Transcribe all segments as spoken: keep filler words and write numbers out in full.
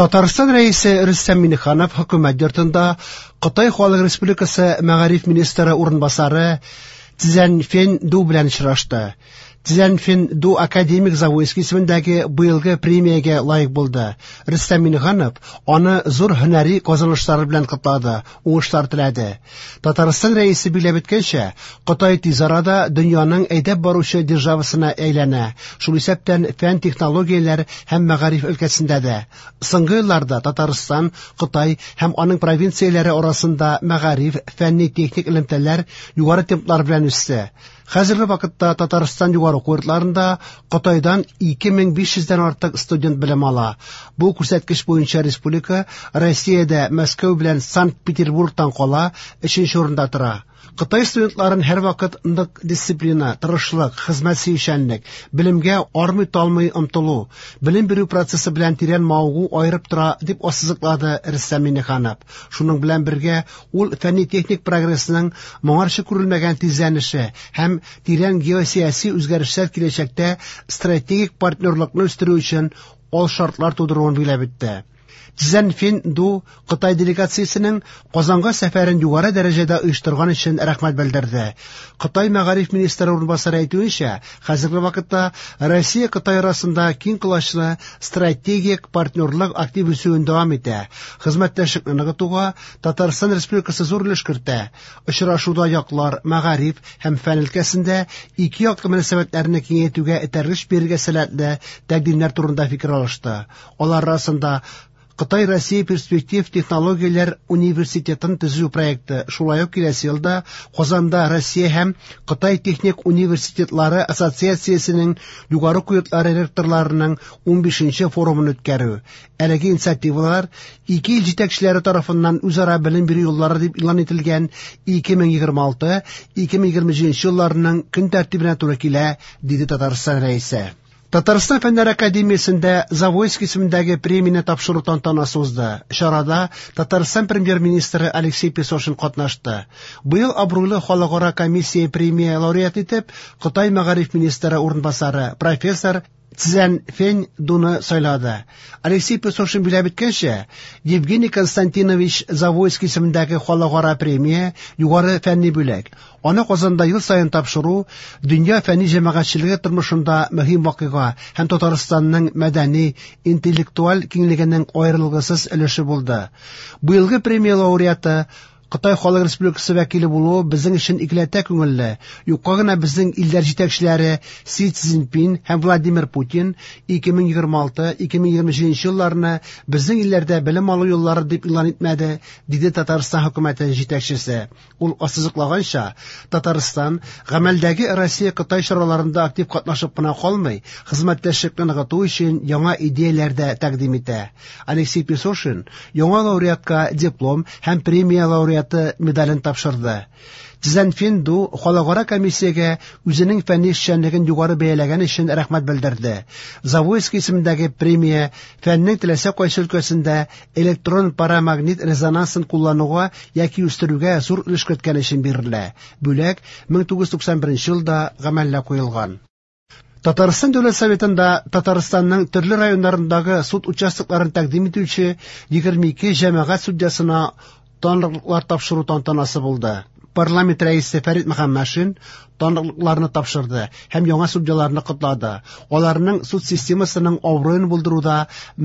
Татарстан Рәисе Рөстәм Миңнеханов Хөкүмәт йортында Кытай Халык Республикасы мәгариф министры урынбасары Цзяньфэн Ду белән очрашты. Цзяньфэн Ду академик Завойский исемендәге быелгы премиягә лаек булды. Рөстәм Миңнеханов аны зур һөнәри казанышлары белән котлады, уңышлар теләде. Татарстан Рәисе билгеләп үткәнчә, Кытай тиз арада дөньяның әйдәп баручы державасына әйләнә, шул исәптән фән, технологияләр һәм мәгариф өлкәсендә дә. Соңгы елларда Татарстан, Кытай һәм аның провинцияләре арасында мәгариф, фәнни-техник элемтәләр югары темплар белән үсте. Хәзерге вакытта Татарстан югары уку йортларында Кытайдан ике мең биш йөздән артык студент белем ала. Бу күрсәткеч буенча республика Россиядә Мәскәү белән Санкт-Петербургтан кала өченче урында тора. Кытай студентларын һәрвакыт нык дисциплина, тырышлык, хезмәт сөючәнлек, белемгә армый-талмый омтылу, белем бирү процессы белән тирән мавыгу аерып тора, дип ассызыклады Рөстәм Миңнеханов. Шуның белән бергә ул фәнни-техник прогрессның моңарчы күрелмәгән тизләнеше һәм тирән геосәяси үзгәрешләр киләчәктә стратегик партнерлыкны үстерү өчен ал шартлар тудыруын билгеләп үтте. Цзяньфэн Ду Кытай делегациясенең Казанга сәфәрен югары дәрәҗәдә оештырган өчен рәхмәт белдерде. Кытай мәгариф министры урынбасары әйтүенчә, хәзерге вакытта Россия Кытай арасында киң колачлы стратегик партнерлык актив үсүен дәвам итә. Хезмәттәшлекне ныгытуга Татарстан Республикасы зур өлеш кертә. Очрашуда яклар мәгариф һәм фән өлкәсендә ике яклы мөнәсәбәтләрне киңәйтүгә этәргеч бирергә сәләтле тәкъдимнәр турында фикер алышты. Алар арасында Кытай Россия перспектив технологияләр университетын төзү проекты, шулай ук киләсе елда Казанда Россия һәм Кытай техник университетлары ассоциациясенең югары уку йортлары ректорларының унбишенче форумын үткәрү. Әлеге инициативалар ике ил җитәкчеләре тарафыннан үзара белем бирү юллары дип игълан ителгән ике мең егерме алты — ике мең егерме җиденче елларның көн тәртибенә туры килә, диде Татарстан Рәисе. Татарстан Фәннәр Академиясендә Завойский исемендәге премияне тапшыру тантанасы узды. Чарада Татарстан премьер-министры Алексей Песошин катнашты. Быел абруйлы халыкара комиссия премия лауреаты итеп Кытай мәгариф министры урынбасары профессор Цзяньфэн Дуны сайлады. Алексей Песошин билгеләп үткәнчә, Евгений Константинович Завойский исемендәге халыкара премия югары фәнни бүләк. Аны Казанда ел саен тапшыру дөнья фәнни җәмәгатьчелеге тормышында мөһим вакыйга һәм Татарстанның мәдәни, интеллектуаль киңлегенең аерылгысыз өлеше булды. Быелгы премия лауреаты Кытай Халык Республикасы вәкиле булуы безнең өчен икеләтә күңелле. Юкка гына безнең илләр җитәкчеләре Си Цзиньпин һәм Владимир Путин ике мең егерме алты — ике мең егерме җиденче елларны безнең илләрдә белем алу еллары дип игълан итмәде, диде Татарстан хөкүмәте җитәкчесе. Ул ассызыклаганча, Татарстан гамәлдәге Россия-Кытай чараларында актив катнашып кына калмый, хезмәттәшлекне ныгыту өчен яңа идеяләр дә тәкъдим итә. Алексей Песошин яңа лауреатка диплом һәм премия лауреаты медален тапшырды. Цзяньфэн Ду халыкара комиссиягә үзенең фәнни эшчәнлеген югары бәяләгән өчен рәхмәт белдерде. Завойский исемендәге премия фәннең теләсә кайсы өлкәсендә электрон парамагнит резонансын куллануга яки үстерүгә зур өлеш керткән өчен бирелә. Бүләк мең тугыз йөз туксан беренче елда гамәлгә куелган. Татарстан Дәүләт Советында Татарстанның төрле районнарындагы суд участокларын тәкъдим итүче егерме ике җәмәгать судьясына таныклыклар тапшыру тантанасы булды. Парламент рәисе Фәрит Мөхәммәтшин таныклыкларны тапшырды һәм яңа судьяларны котлады. Аларның суд системасының абруен булдыруда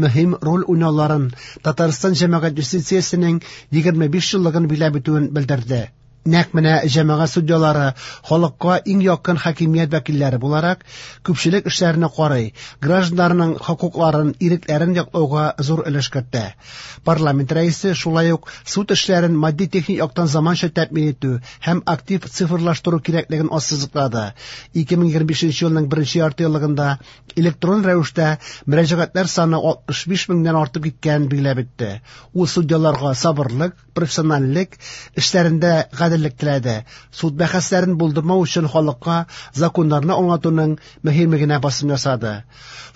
мөһим роль уйнауларын Татарстан җәмәгать юстициясенең егерме биш еллыгын билгеләп үтүен белдерде. Нәкъ менә җәмәгать судьялары халыкка иң якын хакимият вәкилләре буларак күпчелек эшләрне карый, гражданнарның хокукларын, ирекләрен яклауга зур өлеш кертә. Парламент рәисе шулай ук суд эшләрен матди-техник яктан заманча тәэмин итү һәм актив цифрлаштыру кирәклеген ассызыклады. Ике мең егерме бишенче елның беренче ярты еллыгында электрон рәвештә мөрәҗәгатьләр саны алтмыш биш меңнән артып киткәнен билгеләп үтте. Ул судьяларга сабырлык, профессиональлек, эшләрендә гаделлек теләде. Суд бәхәсләрен булдырмау өчен халыкка законнарны аңлатуның мөһимлегенә басым ясады.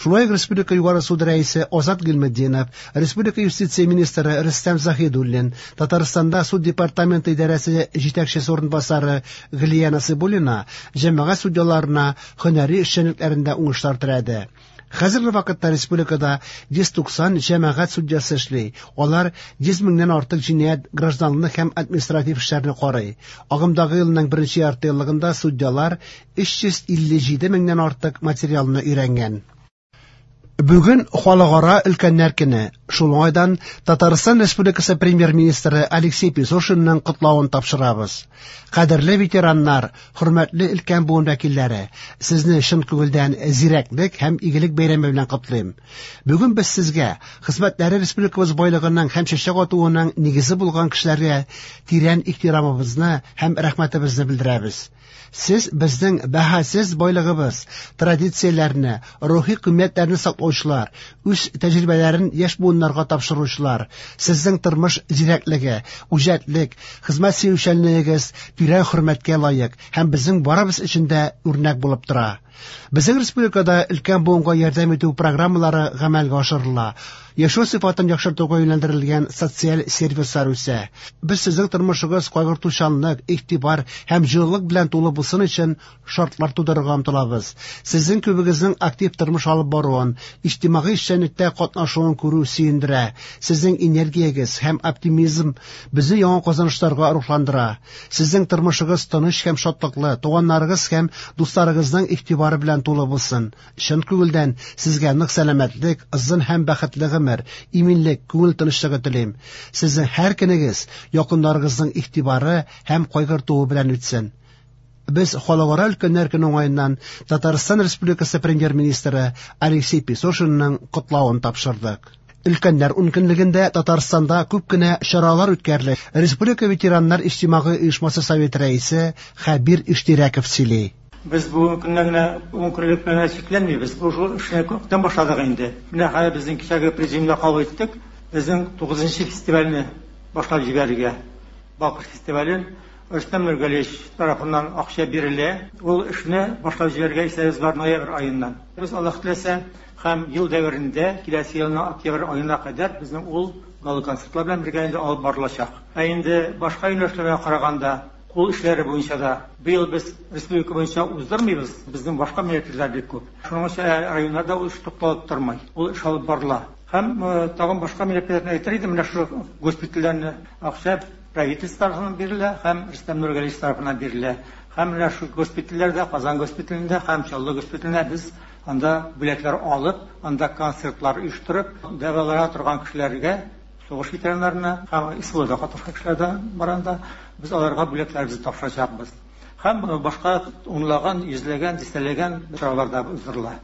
Шулай ук Республика Югары суды рәисе Азат Гыйльметдинов, Республика юстиция министры Рөстәм Заһидуллин, Татарстанда суд департаменты идарәсе җитәкчесе урынбасары Гөлия Насыйбуллина җәмәгать судьяларына һөнәри эшчәнлекләрендә уңышлар теләде. Хәзерге вакытта республикада йөз туксан җәмәгать судьясы эшли. Алар йөз меңнән артык җинаять, гражданлык һәм административ эшләрне карый. Агымдагы елның беренче яртыеллыгында судьялар өч йөз илле җиде меңнән артык материалны өйрәнгән. Бүген Халыкара өлкәннәр көне. Шул уңайдан Татарстан Республикасы Премьер-министры Алексей Песошинның котлавын тапшырабыз. Кадерле ветераннар, хөрмәтле өлкән буын вәкилләре, сезне чын күңелдән зирәклек һәм игелек бәйрәме белән котлыйм. Бүген без сезгә хезмәтләре республикабыз байлыгының һәм чәчәк атуының нигезе булган кешеләргә тирән ихтирамыбызны һәм рәхмәтебезне белдерәбез. Сез безнең бәһасез байлыгыбыз, традицияләрне, рухи кыйммәтләрне саклаучылар, үз тәҗрибәләрен яшь буыннарга тапшыручылар. Сезнең тормыш зирәклеге, үҗәтлек, хезмәт сөючәнлегегез тирән хөрмәткә лаек һәм безнең барыбыз өчен дә үрнәк булып тора. Безнең республикада өлкән буынга ярдәм итү программалары гамәлгә ашырыла. Яшәү сыйфатын яхшыртуга юнәлдерелгән социаль сервислар үсә. Без сезнең тормышыгыз кайгыртучанлык, игътибар һәм җылылык белән тулы булсын өчен шартлар тудырырга омтылабыз. Сезнең күбегезнең актив тормыш алып баруын, иҗтимагый эшчәнлектә катнашуын күрү сөендерә. Сезнең энергиягез һәм оптимизм безне яңа казанышларга рухландыра. Сезнең тормышыгыз тыныч һәм шатлыклы, туганнарыгыз һәм дусларыгызның игътибары белән тулы булсын. Чын күңелдән сезгә нык сәламәтлек, озын һәм бәхетле гомер, иминлек, күңел тынычлыгы телим. Сезнең һәр көнегез якыннарыгызның игътибары һәм кайгыртуы белән үтсен. Без Халыкара өлкәннәр көне уңаеннан Татарстан Республикасы Премьер-министры Алексей Песошинның котлавын тапшырдык. Өлкәннәр ункөнлегендә Татарстанда күп кенә чаралар үткәрелә. Республика ветераннар иҗтимагый оешмасы советы рәисе Хәбир Иштирәков сөйли. Без бу көннән генә ункөнлек белән чикләнмибез. Бу шул эшне күптән башладык инде. Менә хәзер безнең кичәге президиумда кабул иттек. Безнең тугызынчы фестивальне башлап җибәрергә. Балкыш фестивален Рөстәм Нургалиевич тарафыннан акча бирелә. Ул эшне башлап җибәрергә исәбебез бар ноябрь аеннан. Без Аллаһ теләсә һәм ел дәверендә киләсе елның октябрь аена кадәр безнең ул гала-концертлар белән бергә инде алып барылачак. Ә инде башка юнәлешләргә караганда кул эшләре буенча да быел без республика буенча уздырмыйбыз, безнең башка мероприятиеләр бик күп. Шуның өчен районнарда ул эш тукталып тормый, ул эш алып барыла. Һәм, э, тагын башка мероприятиеләрне әйтер идем, менә шул госпитальләрне акча правительство тарафыннан бирелә һәм Рөстәм Нургалиевич тарафыннан бирелә. Һәм менә шул госпитальләрдә, Казан госпиталендә һәм Чаллы госпиталендә без анда бүләкләр алып, анда концертлар оештырып, дәвалана торган кешеләргә, сугыш ветераннарына һәм СВОда катнашкан кешеләр дә бар анда, без аларга бүләкләребезне тапшырачакбыз. Һәм башка унлаган, йөзләгән, дистәләгән чаралар да уздырыла.